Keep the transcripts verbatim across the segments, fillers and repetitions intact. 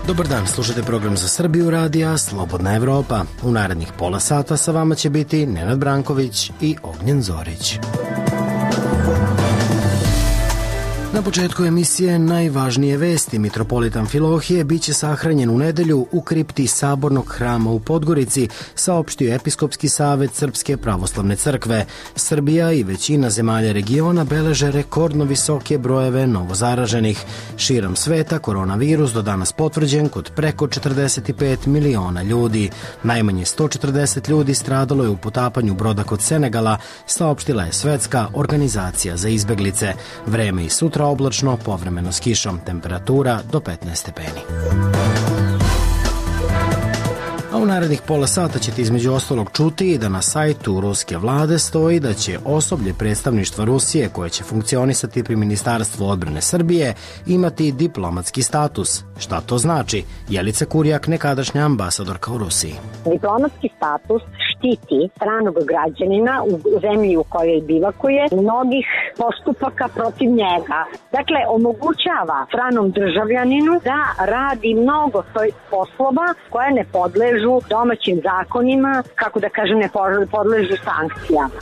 Dobar dan, slušate program za Srbiju radija Slobodna Evropa. U narednih pola sata sa vama će biti Nenad Branković i Ognjen Zorić. Na početku emisije najvažnije vesti. Mitropolit Amfilohije biće sahranjen u nedelju u kripti Sabornog hrama u Podgorici, saopštio Episkopski savet Srpske pravoslavne crkve. Srbija i većina zemalja regiona beleže rekordno visoke brojeve novozaraženih. Širom sveta koronavirus do danas potvrđen kod preko četrdeset pet miliona ljudi. Najmanje sto četrdeset ljudi stradalo je u potapanju broda kod Senegala, saopštila je Svetska organizacija za izbeglice. Vreme i sutra oblačno, povremeno s kišom, temperatura do petnaest stepeni. A u narednih pola sata ćete između ostalog čuti i da na sajtu ruske vlade stoji da će osoblje predstavništva Rusije koje će funkcionisati pri Ministarstvu odbrane Srbije imati diplomatski status. Šta to znači? Jelica Kurjak, nekadašnja ambasadorka u Rusiji. Diplomatski status štiti stranog građanina u zemlji u kojoj bivakuje mnogih postupaka protiv njega. Dakle, omogućava stranom državljaninu da radi mnogo poslova koje ne podležu domaćim zakonima, kako da kažem, ne podležu sankcijama.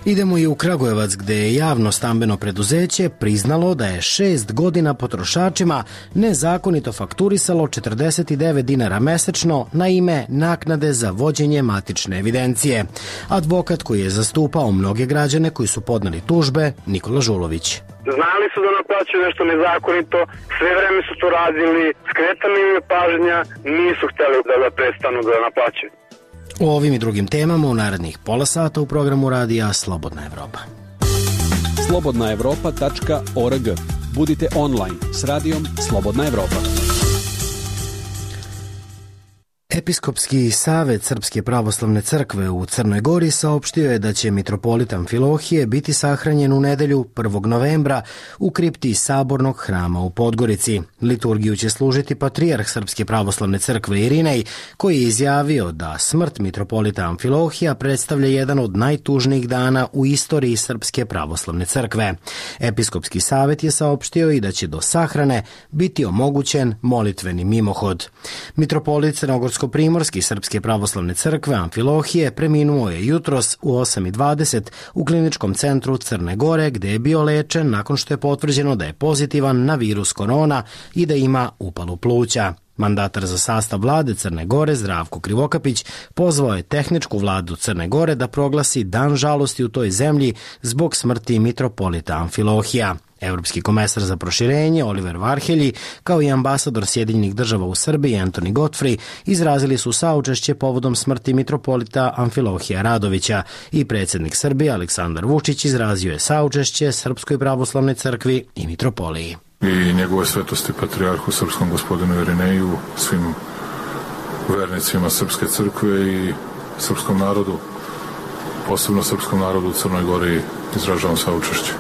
Idemo i u Kragujevac, gde je javno stambeno preduzeće priznalo da je šest godina potrošačima nezakonito fakturisalo četrdeset devet dinara mesečno na ime naknade za vođenje matične evidencije. Advokat koji je zastupao mnoge građane koji su podneli tužbe, Nikola Žulović. Znali su da naplaćuju nešto nezakonito, sve vreme su to radili, skretana im je pažnja, nisu hteli da, da prestanu da naplaćuju. O ovim i drugim temama u narednih pola sata u programu radija Slobodna Evropa. slobodna evropa tačka org. Budite online s radijom Slobodna Evropa. Episkopski savet Srpske pravoslavne crkve u Crnoj Gori saopštio je da će mitropolit Amfilohije biti sahranjen u nedelju prvog novembra u kripti Sabornog hrama u Podgorici. Liturgiju će služiti patrijarh Srpske pravoslavne crkve Irinej, koji je izjavio da smrt mitropolita Amfilohija predstavlja jedan od najtužnijih dana u istoriji Srpske pravoslavne crkve. Episkopski savet je saopštio i da će do sahrane biti omogućen molitveni mimohod. Mitropolit Crnogorsko Primorski Srpske pravoslavne crkve Amfilohije preminuo je jutros u osam i dvadeset u kliničkom centru Crne Gore, gde je bio lečen nakon što je potvrđeno da je pozitivan na virus korona i da ima upalu pluća. Mandatar za sastav vlade Crne Gore, Zdravko Krivokapić, pozvao je tehničku vladu Crne Gore da proglasi dan žalosti u toj zemlji zbog smrti mitropolita Amfilohija. Evropski komesar za proširenje Oliver Varhelji, kao i ambasador Sjedinjenih država u Srbiji Antoni Godfrey, izrazili su saučešće povodom smrti mitropolita Amfilohija Radovića i predsjednik Srbije Aleksandar Vučić izrazio je saučešće Srpskoj pravoslavnoj crkvi i mitropoliji. I njegove svetosti patrijarhu srpskom gospodinu Irineju, svim vernicima Srpske crkve i srpskom narodu, posebno srpskom narodu u Crnoj Gori, izražavam saučešće.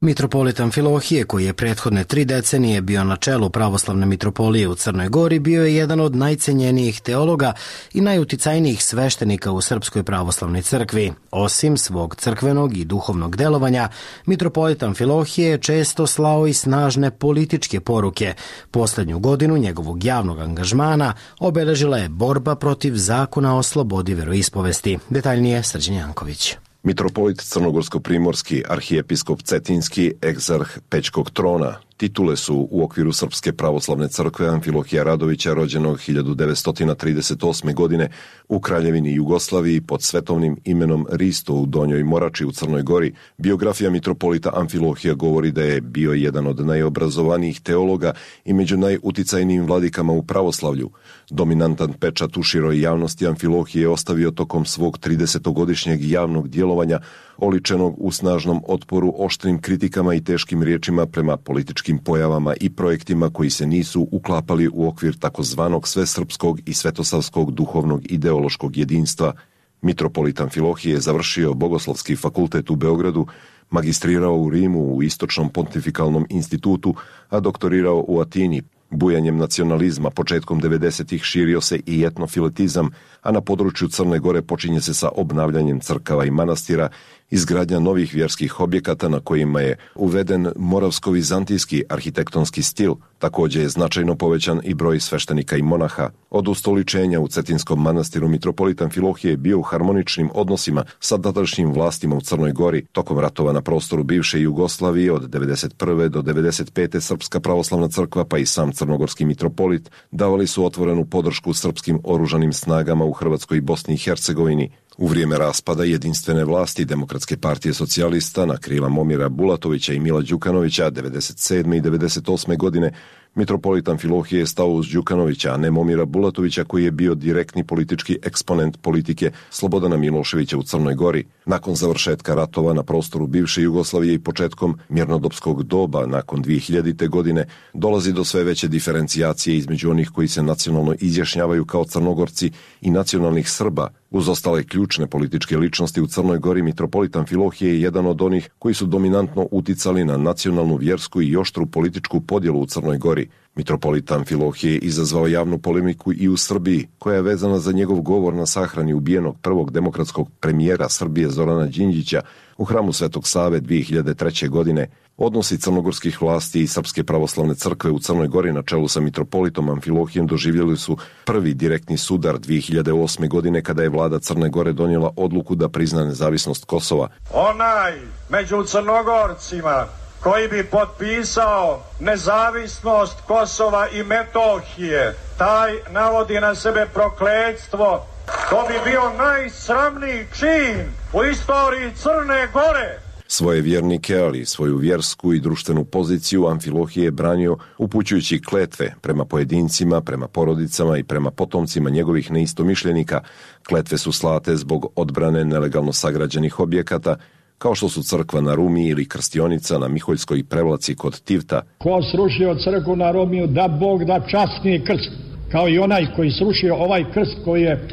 Mitropolit Amfilohije, koji je prethodne tri decenije bio na čelu pravoslavne mitropolije u Crnoj Gori, bio je jedan od najcenjenijih teologa i najuticajnijih sveštenika u Srpskoj pravoslavnoj crkvi. Osim svog crkvenog i duhovnog delovanja, mitropolit Amfilohije je često slao i snažne političke poruke. Poslednju godinu njegovog javnog angažmana obeležila je borba protiv zakona o slobodi veroispovesti. Detaljnije Srđan Janković. Mitropolit Crnogorsko-Primorski, arhijepiskop Cetinski, egzarh Pećkog trona. Titule su u okviru Srpske pravoslavne crkve Amfilohija Radovića, rođenog hiljadu devetsto trideset osme. godine u Kraljevini Jugoslaviji pod svetovnim imenom Risto u Donjoj Morači u Crnoj Gori. Biografija mitropolita Amfilohija govori da je bio jedan od najobrazovanijih teologa i među najuticajnijim vladikama u pravoslavlju. Dominantan pečat u široj javnosti Amfilohije je ostavio tokom svog tridesetogodišnjeg javnog djelovanja, oličenog u snažnom otporu, oštrim kritikama i teškim riječima prema političkim pojavama i projektima koji se nisu uklapali u okvir takozvanog svesrpskog i svetosavskog duhovnog ideološkog jedinstva. Mitropolit Amfilohije je završio Bogoslovski fakultet u Beogradu, magistrirao u Rimu u Istočnom pontifikalnom institutu, a doktorirao u Atini. Bujanjem nacionalizma početkom devedesetih širio se i etnofiletizam, a na području Crne Gore počinje se sa obnavljanjem crkava i manastira, izgradnja novih vjerskih objekata na kojima je uveden moravsko-vizantijski arhitektonski stil. Također je značajno povećan i broj sveštenika i monaha. Od ustoličenja u Cetinskom manastiru mitropolit Amfilohije je bio u harmoničnim odnosima sa tadašnjim vlastima u Crnoj Gori. Tokom ratova na prostoru bivše Jugoslavije od devedeset prve do devedeset pete Srpska pravoslavna crkva pa i sam crnogorski mitropolit davali su otvorenu podršku srpskim oružanim snagama u Hrvatskoj i Bosni i Hercegovini. U vrijeme raspada jedinstvene vlasti Demokratske partije socijalista na krila Momira Bulatovića i Mila Đukanovića devedeset sedme i devedeset osme godine mitropolit Amfilohije je stao uz Đukanovića, a ne Momira Bulatovića koji je bio direktni politički eksponent politike Slobodana Miloševića u Crnoj Gori. Nakon završetka ratova na prostoru bivše Jugoslavije i početkom mirnodopskog doba nakon dvije hiljadite. godine dolazi do sve veće diferencijacije između onih koji se nacionalno izjašnjavaju kao Crnogorci i nacionalnih Srba. Uz ostale ključne političke ličnosti u Crnoj Gori, mitropolit Amfilohije je jedan od onih koji su dominantno uticali na nacionalnu, vjersku i oštru političku podjelu u Crnoj Gori. Mitropolit Amfilohije je izazvao javnu polemiku i u Srbiji, koja je vezana za njegov govor na sahrani ubijenog prvog demokratskog premijera Srbije Zorana Đinđića u hramu Svetog Save dvije hiljade treće. godine. Odnosi crnogorskih vlasti i Srpske pravoslavne crkve u Crnoj Gori na čelu sa mitropolitom Amfilohijem doživjeli su prvi direktni sudar dvije hiljade osme. godine kada je vlada Crne Gore donijela odluku da prizna nezavisnost Kosova. Onaj među Crnogorcima koji bi potpisao nezavisnost Kosova i Metohije, taj navodi na sebe prokletstvo. To bi bio najsramniji čin u istoriji Crne Gore. Svoje vjernike, ali svoju vjersku i društvenu poziciju Amfilohije je branio upućujući kletve prema pojedincima, prema porodicama i prema potomcima njegovih neistomišljenika. Kletve su slate zbog odbrane nelegalno sagrađenih objekata, kao što su crkva na Rumi ili krstionica na Miholjskoj prevlaci kod Tivta. Ko srušio crkvu na Rumiju, da Bog da časni krst, kao i onaj koji srušio ovaj krst koji je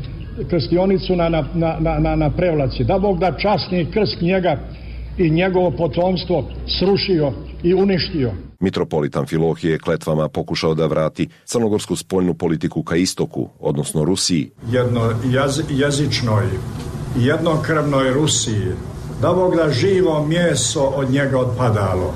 krstionicu na, na, na, na, na prevlaci. Da Bog da časni krst njega i njegovo potomstvo srušio i uništio. Mitropolit Amfilohije je kletvama pokušao da vrati crnogorsku spoljnu politiku ka istoku, odnosno Rusiji. Jedno jaz, jezičnoj, jednokrvnoj Rusiji, da Bog da živo meso od njega odpadalo.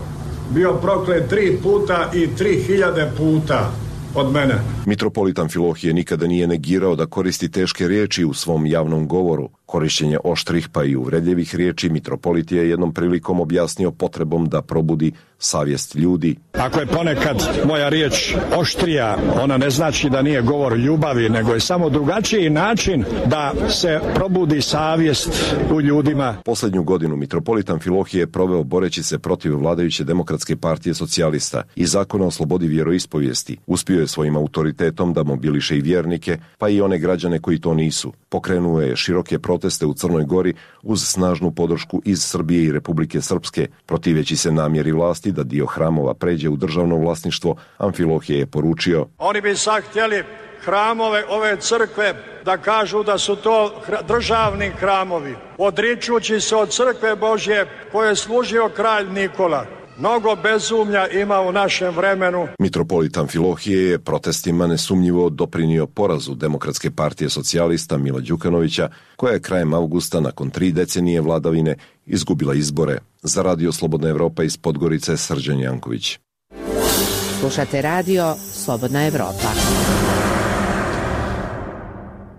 Bio proklet tri puta i tri hiljade puta od mene. Mitropolit Amfilohije nikada nije negirao da koristi teške riječi u svom javnom govoru. Korišćenje oštrih pa i uvredljivih riječi mitropolit je jednom prilikom objasnio potrebom da probudi savjest ljudi. Ako je ponekad moja riječ oštrija, ona ne znači da nije govor ljubavi, nego je samo drugačiji način da se probudi savjest u ljudima. Posljednju godinu mitropolit Amfilohije je proveo boreći se protiv vladajuće Demokratske partije socijalista i zakona o slobodi vjeroispovijesti. Uspio je svojim autoritetom da mobiliše i vjernike, pa i one građane koji to nisu. Pokrenuo je široke proteste u Crnoj Gori uz snažnu podršku iz Srbije i Republike Srpske. Protiveći se namjeri vlasti da dio hramova pređe u državno vlasništvo, Amfilohije je poručio: Oni bi sad htjeli hramove ove crkve da kažu da su to državni hramovi, odričući se od crkve Božje koje je služio kralj Nikola. Mnogo bezumlja ima u našem vremenu. Mitropolit Amfilohije je protestima nesumnjivo doprinio porazu Demokratske partije socijalista Mila Đukanovića, koja je krajem avgusta nakon tri decenije vladavine izgubila izbore. Za Radio Slobodna Evropa iz Podgorice, Srđan Janković. Slušate Radio Slobodna Evropa.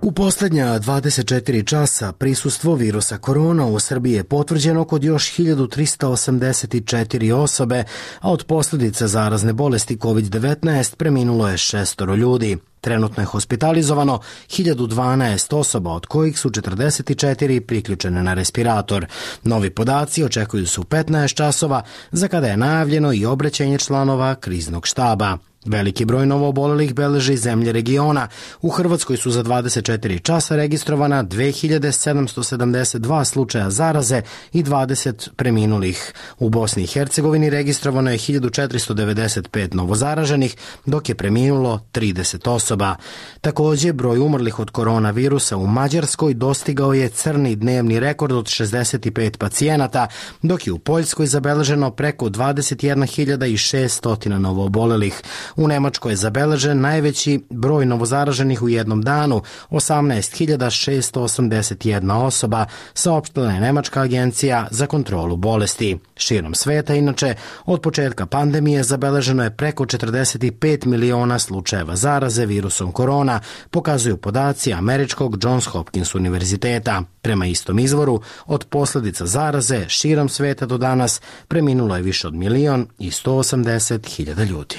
U posljednja dvadeset četiri časa prisustvo virusa korona u Srbiji je potvrđeno kod još hiljadu trista osamdeset četiri osobe, a od posljedica zarazne bolesti kovid devetnaest preminulo je šestoro ljudi. Trenutno je hospitalizovano hiljadu dvanaest osoba, od kojih su četrdeset četiri priključene na respirator. Novi podaci očekuju se u petnaest časova, za kada je najavljeno i obraćanje članova kriznog štaba. Veliki broj novoobolelih beleži zemlje regiona. U Hrvatskoj su za dvadeset četiri časa registrovana dve hiljade sedamsto sedamdeset dva slučaja zaraze i dvadeset preminulih. U Bosni i Hercegovini registrovano je hiljadu četiristo devedeset pet novozaraženih, dok je preminulo trideset osoba. Također, broj umrlih od koronavirusa u Mađarskoj dostigao je crni dnevni rekord od šezdeset pet pacijenata, dok je u Poljskoj zabeleženo preko dvadeset jedna hiljada šeststo novoobolelih. U Nemačkoj je zabeležen najveći broj novozaraženih u jednom danu, osamnaest hiljada šessto osamdeset jedna osoba, saopštila je Nemačka agencija za kontrolu bolesti. Širom sveta, inače, od početka pandemije zabeleženo je preko četrdeset pet miliona slučajeva zaraze virusom korona, pokazuju podaci američkog Johns Hopkins univerziteta. Prema istom izvoru, od posljedica zaraze širom sveta do danas preminulo je više od milion i sto osamdeset hiljada ljudi.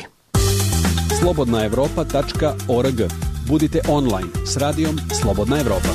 slobodna evropa tačka org. Budite online s radijom Slobodna Evropa.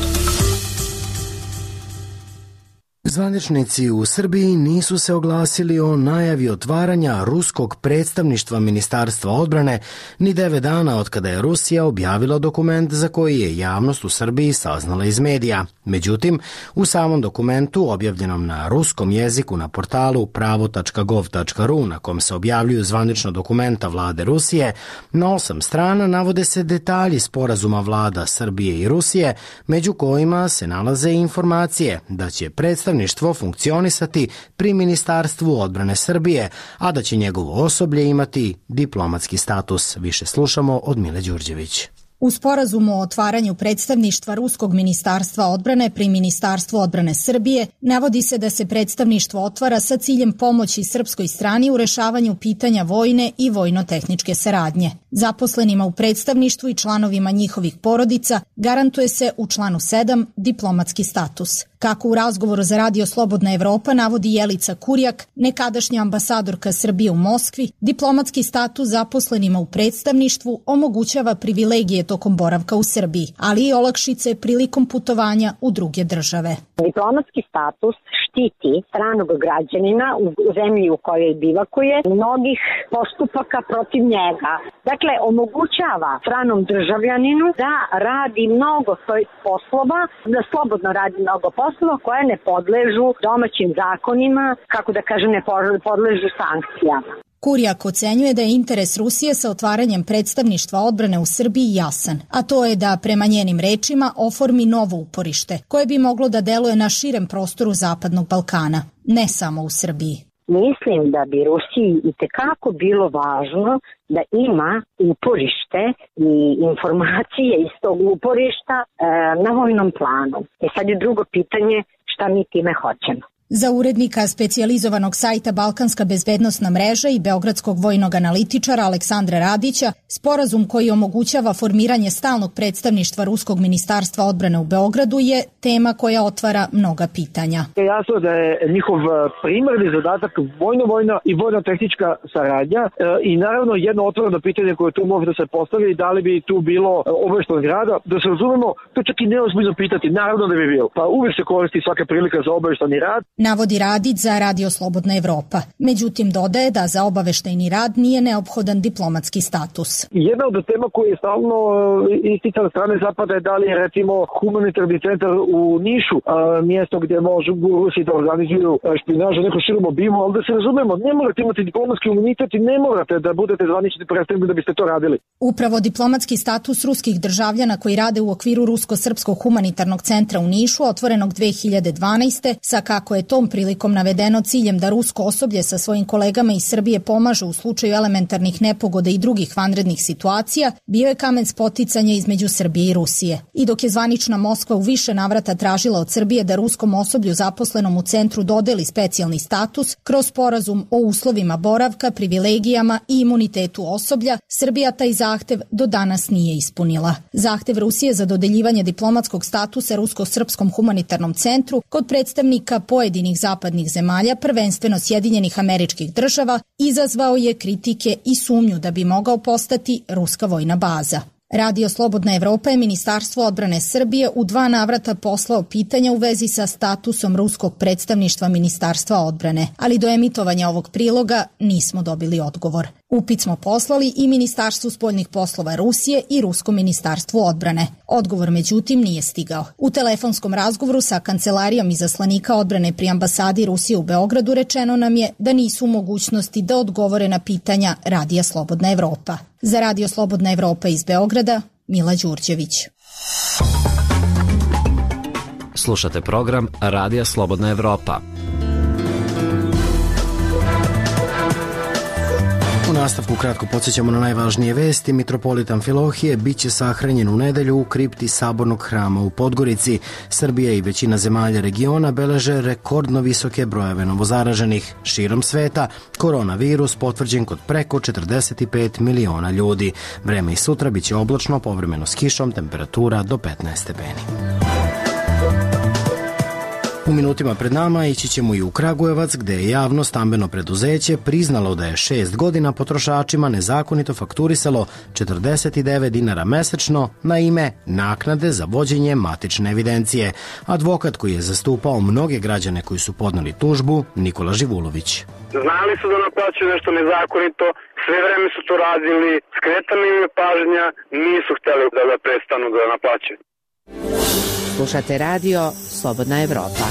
Zvaničnici u Srbiji nisu se oglasili o najavi otvaranja ruskog predstavništva Ministarstva odbrane ni devet dana od kada je Rusija objavila dokument za koji je javnost u Srbiji saznala iz medija. Međutim, u samom dokumentu objavljenom na ruskom jeziku na portalu pravo tačka gov tačka ru na kom se objavljuju zvanična dokumenta vlade Rusije, na osam strana navode se detalji sporazuma vlada Srbije i Rusije, među kojima se nalaze informacije da će predstavništvo funkcionisati pri Ministarstvu odbrane Srbije, a da će njegovo osoblje imati diplomatski status. Više slušamo od Mile Đurđević. U sporazumu o otvaranju predstavništva Ruskog ministarstva odbrane pri Ministarstvu odbrane Srbije navodi se da se predstavništvo otvara sa ciljem pomoći srpskoj strani u rešavanju pitanja vojne i vojno-tehničke saradnje. Zaposlenima u predstavništvu i članovima njihovih porodica garantuje se u članu sedam diplomatski status. Kako u razgovoru za Radio Slobodna Evropa navodi Jelica Kurjak, nekadašnja ambasadorka Srbije u Moskvi, diplomatski status zaposlenima u predstavništvu omogućava privilegije tokom boravka u Srbiji, ali i olakšice prilikom putovanja u druge države. Diplomatski status štiti stranog građanina u zemlji u kojoj bivakuje mnogih postupaka protiv njega. Dakle, omogućava stranom državljaninu da radi mnogo svojih poslova, da slobodno radi mnogo poslova koje ne podležu domaćim zakonima, kako da kažem, ne podležu sankcijama. Kurjak ocenjuje da je interes Rusije sa otvaranjem predstavništva odbrane u Srbiji jasan, a to je da prema njenim rečima oformi novo uporište, koje bi moglo da deluje na širem prostoru Zapadnog Balkana, ne samo u Srbiji. Mislim da bi Rusiji itekako bilo važno da ima uporište i informacije iz tog uporišta e, na vojnom planu. E sad je drugo pitanje šta mi time hoćemo. Za urednika specijalizovanog sajta Balkanska bezbednosna mreža i beogradskog vojnog analitičara Aleksandra Radića, sporazum koji omogućava formiranje stalnog predstavništva Ruskog ministarstva odbrane u Beogradu je tema koja otvara mnoga pitanja. Jasno da je njihov primarni zadatak vojno-vojna i vojno-tehnička saradnja i naravno jedno otvoreno pitanje koje tu može da se postavi, da li bi tu bilo obaveštenog rada, da se razumemo, to čak i neozbiljno pitati, naravno da bi bilo. Pa uvijek se koristi svaka prilika za obavešteni rad. Navodi Radić za Radio Slobodna Evropa. Međutim, dodaje da za obaveštajni rad nije neophodan diplomatski status. Jedna od tema koja je stalno isticana strane Zapada je da li je recimo humanitarni centar u Nišu, a, mjesto gdje može Rusi da organizuju špinažu neko širom obimu, ali da se razumemo, ne morate imati diplomatski imunitet i ne morate da budete zvanični predstavnik da biste to radili. Upravo diplomatski status ruskih državljana koji rade u okviru Rusko-srpskog humanitarnog centra u Nišu, otvorenog dve hiljade dvanaeste, sa kako je tom prilikom navedeno ciljem da rusko osoblje sa svojim kolegama iz Srbije pomaže u slučaju elementarnih nepogoda i drugih vanrednih situacija, bio je kamen spoticanja između Srbije i Rusije. I dok je zvanična Moskva u više navrata tražila od Srbije da ruskom osoblju zaposlenom u centru dodeli specijalni status kroz sporazum o uslovima boravka, privilegijama i imunitetu osoblja, Srbija taj zahtev do danas nije ispunila. Zahtev Rusije za dodeljivanje diplomatskog statusa Rusko-srpskom humanitarnom centru kod predstavnika pojedinih zapadnih zemalja, prvenstveno Sjedinjenih Američkih Država, izazvao je kritike i sumnju da bi mogao postati ruska vojna baza. Radio Slobodna Evropa je Ministarstvo odbrane Srbije u dva navrata poslao pitanja u vezi sa statusom ruskog predstavništva Ministarstva odbrane, ali do emitovanja ovog priloga nismo dobili odgovor. Upit smo poslali i Ministarstvu spoljnih poslova Rusije i Ruskom ministarstvu odbrane. Odgovor međutim nije stigao. U telefonskom razgovoru sa kancelarijom izaslanika odbrane pri ambasadi Rusije u Beogradu rečeno nam je da nisu u mogućnosti da odgovore na pitanja Radija Slobodna Evropa. Za Radio Slobodna Evropa iz Beograda, Mila Đurđević. Slušate program Radija Slobodna Evropa. U nastavku kratko podsjećamo na najvažnije vesti. Mitropolit Amfilohije biće sahranjen u nedelju u kripti Sabornog hrama u Podgorici. Srbija i većina zemalja regiona beleže rekordno visoke brojeve novozaraženih. Širom sveta koronavirus potvrđen kod preko četrdeset pet miliona ljudi. Vreme i sutra biće oblačno, povremeno s kišom, temperatura do petnaest stepeni. U minutima pred nama ići ćemo i u Kragujevac, gde je javno stambeno preduzeće priznalo da je šest godina potrošačima nezakonito fakturisalo četrdeset devet dinara mesečno na ime naknade za vođenje matične evidencije. Advokat koji je zastupao mnoge građane koji su podneli tužbu, Nikola Živulović. Znali su da naplaćuju nešto nezakonito, sve vreme su to radili, skretana im je pažnja, nisu hteli da, da prestanu da naplaćuju. Slušate radio Slobodna Evropa.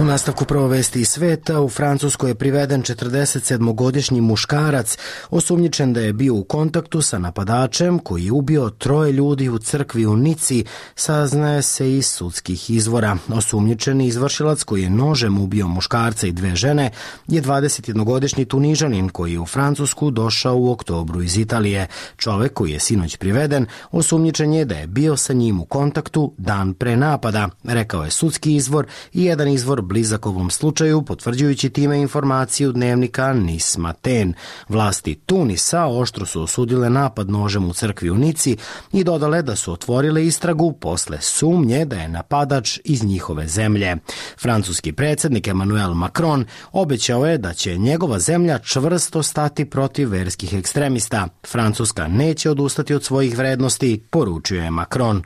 U nastavku prvo vesti iz sveta, u Francuskoj je priveden četrdeset sedmogodišnji muškarac, osumnjičen da je bio u kontaktu sa napadačem koji je ubio troje ljudi u crkvi u Nici, saznaje se iz sudskih izvora. Osumnjičeni izvršilac koji je nožem ubio muškarca i dve žene je dvadesetjednogodišnji Tunižanin koji je u Francusku došao u oktobru iz Italije. Čovek koji je sinoć priveden osumnjičen je da je bio sa njim u kontaktu dan pre napada, rekao je sudski izvor i jedan izvor blizak ovom slučaju, potvrđujući time informaciju dnevnika Nis Matin. Vlasti Tunisa oštro su osudile napad nožem u crkvi u Nici i dodale da su otvorile istragu posle sumnje da je napadač iz njihove zemlje. Francuski predsjednik Emmanuel Macron obećao je da će njegova zemlja čvrsto stati protiv verskih ekstremista. Francuska neće odustati od svojih vrednosti, poručio je Macron.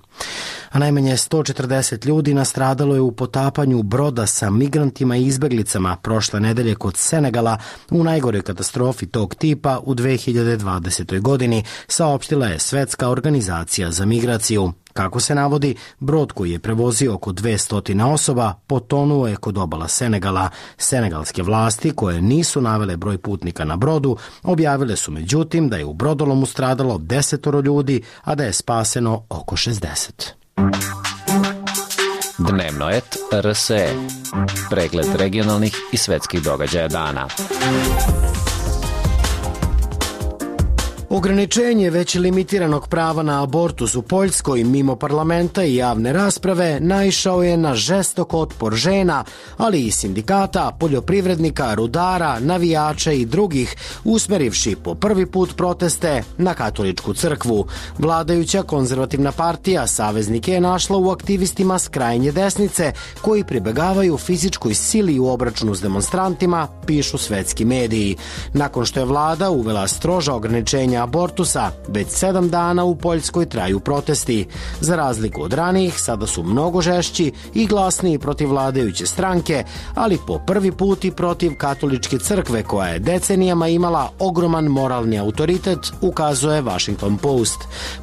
A najmanje sto četrdeset ljudi nastradalo je u potapanju broda sa migrantima i izbeglicama prošle nedelje kod Senegala u najgoroj katastrofi tog tipa u dve hiljade dvadesetoj godini, saopštila je Svetska organizacija za migraciju. Kako se navodi, brod koji je prevozio oko dvesta osoba potonuo je kod obala Senegala. Senegalske vlasti, koje nisu navele broj putnika na brodu, objavile su međutim da je u brodolomu stradalo desetoro ljudi, a da je spaseno oko šezdeset. Dnevno et R S E. Pregled regionalnih i svetskih događaja dana. Ograničenje već limitiranog prava na abortus u Poljskoj mimo parlamenta i javne rasprave naišao je na žestok otpor žena, ali i sindikata, poljoprivrednika, rudara, navijača i drugih, usmerivši po prvi put proteste na katoličku crkvu. Vladajuća konzervativna partija saveznike je našla u aktivistima s krajnje desnice, koji pribegavaju fizičkoj sili u obračunu s demonstrantima, pišu svetski mediji. Nakon što je vlada uvela stroža ograničenja abortusa, već sedam dana u Poljskoj traju protesti. Za razliku od ranijih, sada su mnogo žešći i glasniji protiv vladajuće stranke, ali po prvi put i protiv katoličke crkve koja je decenijama imala ogroman moralni autoritet, ukazuje Washington Post.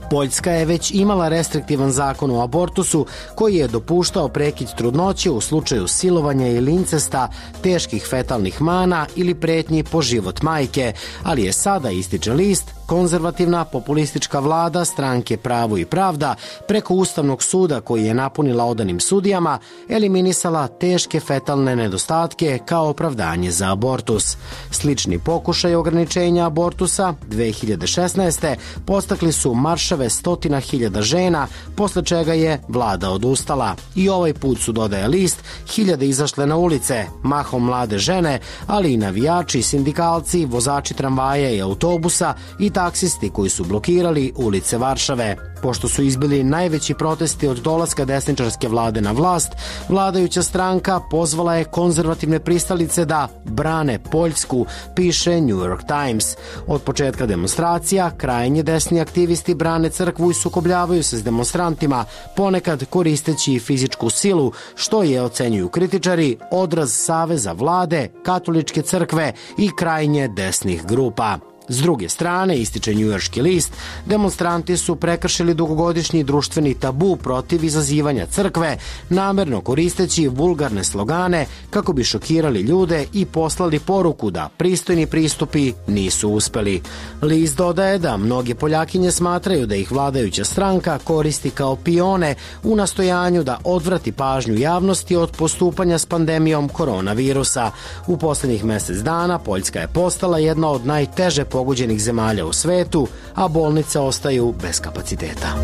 Poljska je već imala restriktivan zakon o abortusu koji je dopuštao prekid trudnoće u slučaju silovanja ili incesta, teških fetalnih mana ili pretnji po život majke, ali je sada, ističe list, konzervativna populistička vlada stranke Pravo i pravda preko Ustavnog suda koji je napunila odanim sudijama eliminisala teške fetalne nedostatke kao opravdanje za abortus. Slični pokušaj ograničenja abortusa dve hiljade šesnaeste. postakli su marševe stotina hiljada žena, posle čega je vlada odustala. I ovaj put su, dodaje list, hiljade izašle na ulice, mahom mlade žene, ali i navijači, sindikalci, vozači tramvaja i autobusa i taksisti koji su blokirali ulice Varšave. Pošto su izbili najveći protesti od dolaska desničarske vlade na vlast, vladajuća stranka pozvala je konzervativne pristalice da brane Poljsku, piše New York Times. Od početka demonstracija, krajnje desni aktivisti brane crkvu i sukobljavaju se s demonstrantima, ponekad koristeći fizičku silu, što je, ocenjuju kritičari, odraz saveza vlade, katoličke crkve i krajnje desnih grupa. S druge strane, ističe njujorški list, demonstranti su prekršili dugogodišnji društveni tabu protiv izazivanja crkve, namerno koristeći vulgarne slogane kako bi šokirali ljude i poslali poruku da pristojni pristupi nisu uspeli. List dodaje da mnoge Poljakinje smatraju da ih vladajuća stranka koristi kao pione u nastojanju da odvrati pažnju javnosti od postupanja s pandemijom koronavirusa. U poslednjih mesec dana Poljska je postala jedna od najteže pogođenih zemalja u svetu, a bolnice ostaju bez kapaciteta.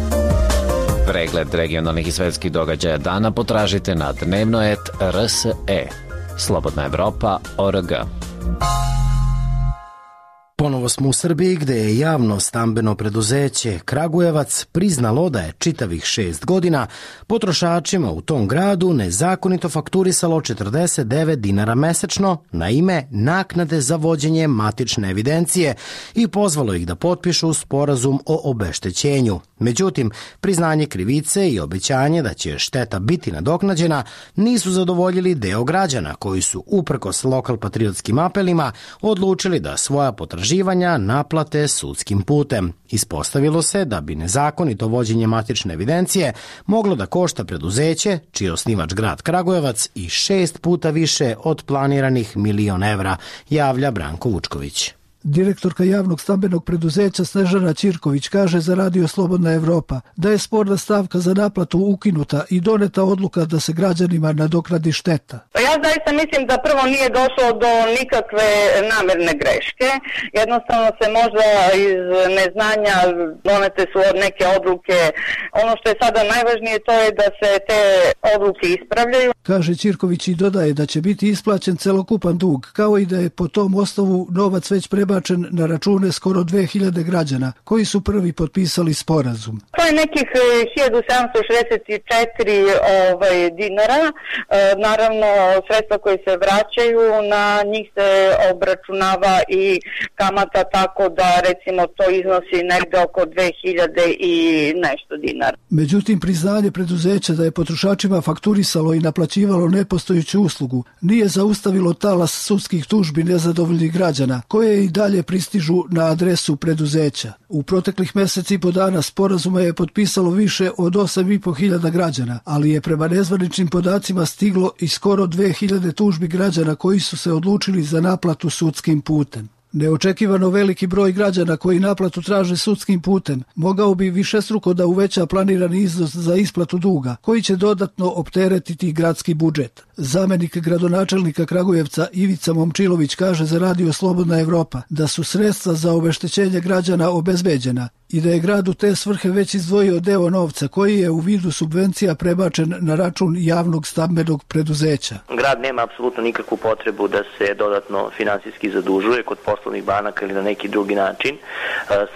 Pregled regionalnih i svetskih događaja dana potražite na dnevnoet R S E. Slobodna Evropa точка O R G. Ponovo smo u Srbiji gde je javno stambeno preduzeće Kragujevac priznalo da je čitavih šest godina potrošačima u tom gradu nezakonito fakturisalo četrdeset devet dinara mesečno na ime naknade za vođenje matične evidencije i pozvalo ih da potpišu sporazum o obeštećenju. Međutim, priznanje krivice i obećanje da će šteta biti nadoknađena nisu zadovoljili deo građana koji su uprkos lokal-patriotskim apelima odlučili da svoja potraživanja naplate sudskim putem. Ispostavilo se da bi nezakonito vođenje matične evidencije moglo da košta preduzeće, čiji je osnivač grad Kragujevac, i šest puta više od planiranih milion evra, javlja Branko Vučković. Direktorka javnog stambenog preduzeća Snežana Ćirković kaže za Radio Slobodna Evropa da je sporna stavka za naplatu ukinuta i doneta odluka da se građanima nadoknadi šteta. Ja zaista mislim da prvo nije došlo do nikakve namerne greške. Jednostavno se možda iz neznanja donete su od neke odluke. Ono što je sada najvažnije to je da se te odluke ispravljaju. Kaže Ćirković i dodaje da će biti isplaćen celokupan dug, kao i da je po tom osnovu novac već prebačen na račune skoro dve hiljade građana koji su prvi potpisali sporazum. To je nekih hiljadu sedamsto šezdeset četiri ovaj, dinara. E, naravno, sredstva koje se vraćaju, na njih se obračunava i kamata, tako da recimo to iznosi negde oko dve hiljade i nešto dinara. Međutim, priznanje preduzeća da je potrošačima fakturisalo i naplaćivalo nepostojeću uslugu nije zaustavilo talas sudskih tužbi nezadovoljnih građana, koje i dalje pristižu na adresu preduzeća. U proteklih meseci i po dana sporazuma je potpisalo više od osam i po hiljada građana, ali je prema nezvaničnim podacima stiglo i skoro dve hiljade tužbi građana koji su se odlučili za naplatu sudskim putem. Neočekivano veliki broj građana koji naplatu traže sudskim putem mogao bi višestruko da uveća planirani iznos za isplatu duga, koji će dodatno opteretiti gradski budžet. Zamenik gradonačelnika Kragujevca Ivica Momčilović kaže za Radio Slobodna Evropa da su sredstva za obeštećenje građana obezbeđena i da je grad u te svrhe već izdvojio deo novca koji je u vidu subvencija prebačen na račun javnog stambenog preduzeća. Grad nema apsolutno nikakvu potrebu da se dodatno finansijski zadužuje kod poslovnih banaka ili na neki drugi način.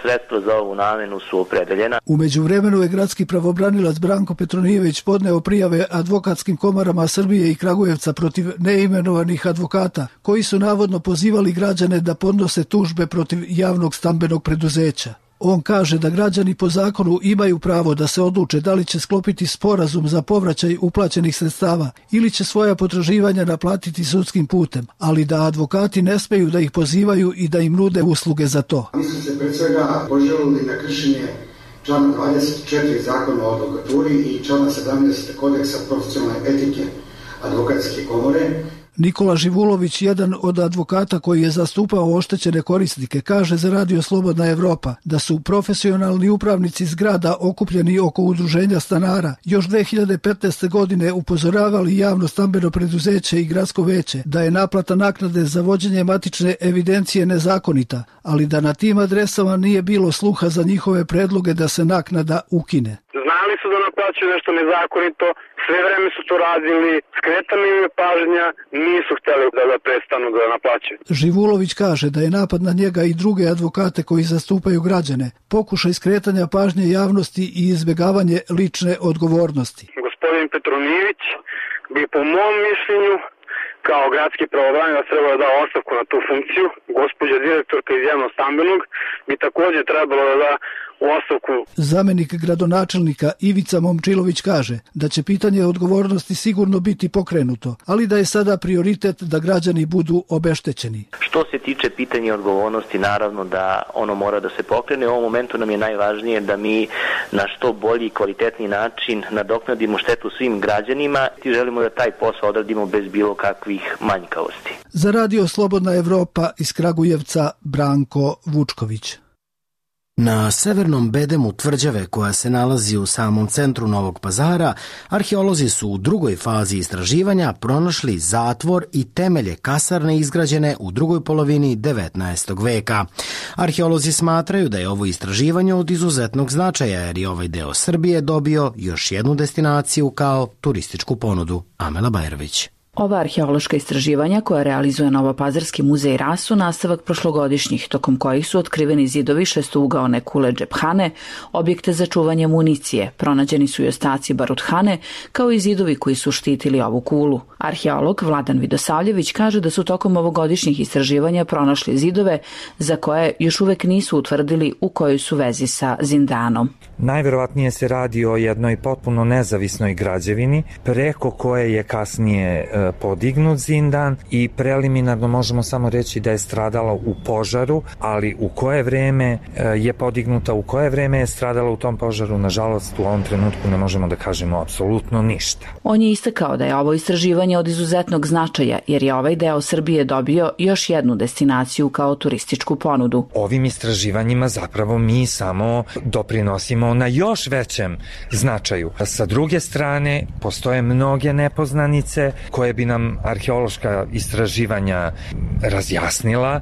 Sredstva za ovu namenu su opredeljena. U međuvremenu je gradski pravobranilac Branko Petronijević podneo prijave advokatskim komorama Srbije i Kragujevca protiv neimenovanih advokata koji su navodno pozivali građane da podnose tužbe protiv javnog stambenog preduzeća. On kaže da građani po zakonu imaju pravo da se odluče da li će sklopiti sporazum za povraćaj uplaćenih sredstava ili će svoja potraživanja naplatiti sudskim putem, ali da advokati ne smeju da ih pozivaju i da im nude usluge za to. Mi smo se pred svega poželili na kršenje člana dvadeset četiri zakona o advokaturi i člana sedamnaest kodeksa profesionalne etike advokatske komore. Nikola Živulović, jedan od advokata koji je zastupao oštećene korisnike, kaže za Radio Slobodna Evropa da su profesionalni upravnici zgrada okupljeni oko udruženja stanara još dve hiljade petnaeste. godine upozoravali javno stambeno preduzeće i gradsko veće da je naplata naknade za vođenje matične evidencije nezakonita, ali da na tim adresama nije bilo sluha za njihove predloge da se naknada ukine. Znali su da naplaćuju nešto nezakonito, sve vreme su to radili, skretana im je pažnja, nisu hteli da, da prestanu da naplaćuju. Živulović kaže da je napad na njega i druge advokate koji zastupaju građane pokušaj skretanja pažnje javnosti i izbjegavanje lične odgovornosti. Gospodin Petronijević bi po mom mišljenju kao gradski pravobranilac trebalo da da ostavku na tu funkciju. Gospođa direktorka iz javnog stambenog bi takođe trebalo da da u ostavku. Zamenik gradonačelnika Ivica Momčilović kaže da će pitanje odgovornosti sigurno biti pokrenuto, ali da je sada prioritet da građani budu obeštećeni. Što se tiče pitanja odgovornosti, naravno da ono mora da se pokrene. U ovom momentu nam je najvažnije da mi na što bolji i kvalitetni način nadoknadimo štetu svim građanima i želimo da taj posao odradimo bez bilo kakvih manjkavosti. Za Radio Slobodna Evropa iz Kragujevca Branko Vučković. Na severnom bedemu tvrđave koja se nalazi u samom centru Novog Pazara, arheolozi su u drugoj fazi istraživanja pronašli zatvor i temelje kasarne izgrađene u drugoj polovini devetnaestog veka. Arheolozi smatraju da je ovo istraživanje od izuzetnog značaja jer je ovaj deo Srbije dobio još jednu destinaciju kao turističku ponudu. Amela Bajrović. Ova arheološka istraživanja koja realizuje Novopazarski muzej Ras su nastavak prošlogodišnjih, tokom kojih su otkriveni zidovi šestougaone kule džephane, objekte za čuvanje municije, pronađeni su i ostaci baruthane, kao i zidovi koji su štitili ovu kulu. Arheolog Vladan Vidosavljević kaže da su tokom ovogodišnjih istraživanja pronašli zidove za koje još uvek nisu utvrdili u kojoj su vezi sa zindanom. Najverovatnije se radi o jednoj potpuno nezavisnoj građevini, preko koje je kasnije podignut zindan i preliminarno možemo samo reći da je stradala u požaru, ali u koje vreme je podignuta, u koje vreme je stradala u tom požaru, nažalost u ovom trenutku ne možemo da kažemo apsolutno ništa. On je istakao da je ovo istraživanje od izuzetnog značaja jer je ovaj deo Srbije dobio još jednu destinaciju kao turističku ponudu. Ovim istraživanjima zapravo mi samo doprinosimo na još većem značaju. Sa druge strane, postoje mnoge nepoznanice koje bi nam arheološka istraživanja razjasnila.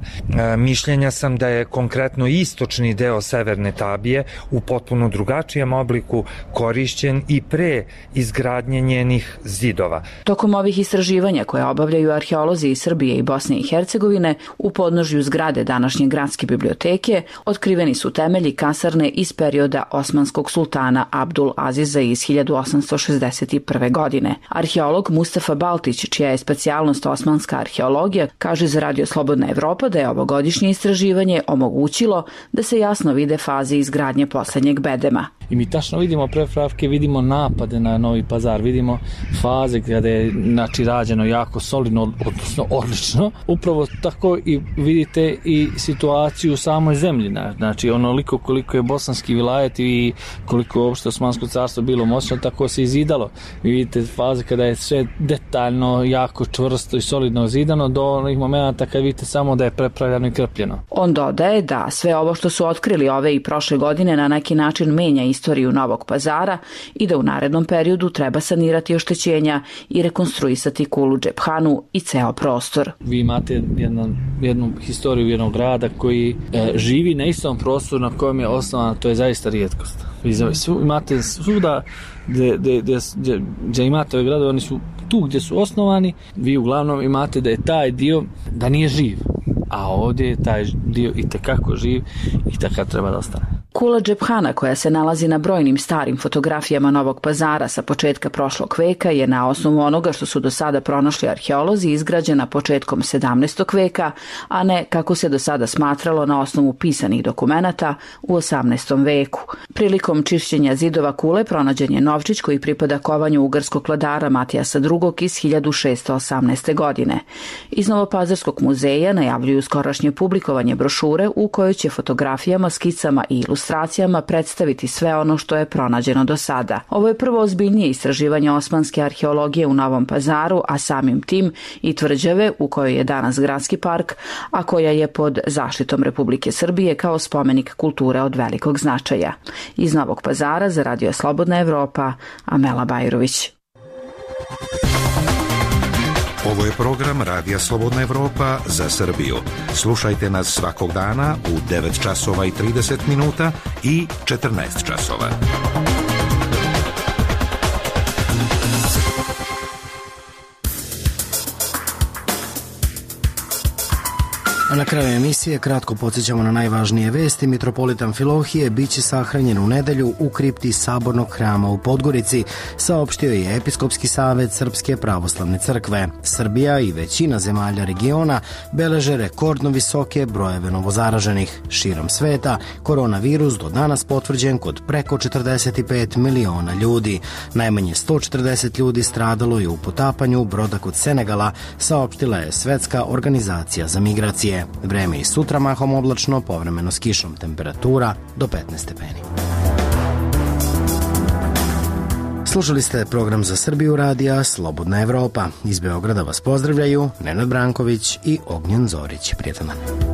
Mišljenja sam da je konkretno istočni deo Severne Tabije u potpuno drugačijem obliku korišćen i pre izgradnje njenih zidova. Tokom ovih istraživanja koje obavljaju arheolozi iz Srbije i Bosne i Hercegovine, u podnožju zgrade današnje gradske biblioteke otkriveni su temelji kasarne iz perioda osmanskog sultana Abdul Aziza iz hiljadu osamsto šezdeset prve. godine. Arheolog Mustafa Baltić, čija je specijalnost osmanska arheologija, kaže za Radio Slobodna Evropa da je ovogodišnje istraživanje omogućilo da se jasno vide faze izgradnje poslednjeg bedema. I mi tačno vidimo prepravke, vidimo napade na Novi Pazar, vidimo faze kada je znači, rađeno jako solidno, odnosno odlično. Upravo tako i vidite i situaciju u samoj zemlji. Znači onoliko koliko je bosanski vilajet i koliko je uopšte Osmansko carstvo bilo moćno, tako se izidalo. Vi vidite faze kada je sve detaljno, jako čvrsto i solidno zidano do onih momenta kad vidite samo da je prepravljano i krpljeno. On dodaje da sve ovo što su otkrili ove i prošle godine na neki način menja istoriju Novog Pazara i da u narednom periodu treba sanirati oštećenja i rekonstruisati kulu džephanu i ceo prostor. Vi imate jednu, jednu historiju jednog grada koji e, živi na istom prostoru na kojem je osnovan, to je zaista rijetkost. Vi svu, imate svuda gdje, gdje, gdje, gdje imate ove gradove, oni su tu gdje su osnovani, vi uglavnom imate da je taj dio da nije živ, a ovdje je taj dio i tekako živ i takav treba da ostane. Kula džephana koja se nalazi na brojnim starim fotografijama Novog Pazara sa početka prošlog veka je na osnovu onoga što su do sada pronašli arheolozi izgrađena početkom sedamnaestog veka, a ne kako se do sada smatralo na osnovu pisanih dokumenata u osamnaestom veku. Prilikom čišćenja zidova kule pronađen je novčić koji pripada kovanju ugarskog vladara Matijasa drugog. iz hiljadu šessto osamnaeste. godine. Iz Novopazarskog muzeja najavljuju skorašnje publikovanje brošure u kojoj će fotografijama, skicama i ilustracijama predstaviti sve ono što je pronađeno do sada. Ovo je prvo ozbiljnije istraživanje osmanske arheologije u Novom Pazaru, a samim tim i tvrđave u kojoj je danas gradski park, a koja je pod zaštitom Republike Srbije kao spomenik kulture od velikog značaja. Iz Novog Pazara za Radio Slobodna Evropa, Amela Bajrović. Ovo je program Radija Slobodna Evropa za Srbiju. Slušajte nas svakog dana u devet časova i trideset minuta i četrnaest časova. A na kraju emisije kratko podsjećamo na najvažnije vesti. Mitropolitan Filohije biće sahranjen u nedelju u kripti Sabornog hrama u Podgorici, saopštio je Episkopski savet Srpske pravoslavne crkve. Srbija i većina zemalja regiona beleže rekordno visoke brojeve novozaraženih. Širom sveta koronavirus do danas potvrđen kod preko četrdeset pet miliona ljudi. Najmanje sto četrdeset ljudi stradalo je u potapanju broda kod Senegala, saopštila je Svetska organizacija za migracije. Vreme i sutra mahom oblačno, povremeno s kišom, temperatura do petnaest stepeni. Slušali ste program za Srbiju radija Slobodna Evropa. Iz Beograda vas pozdravljaju Nenad Branković i Ognjen Zorić. Prijetan dan.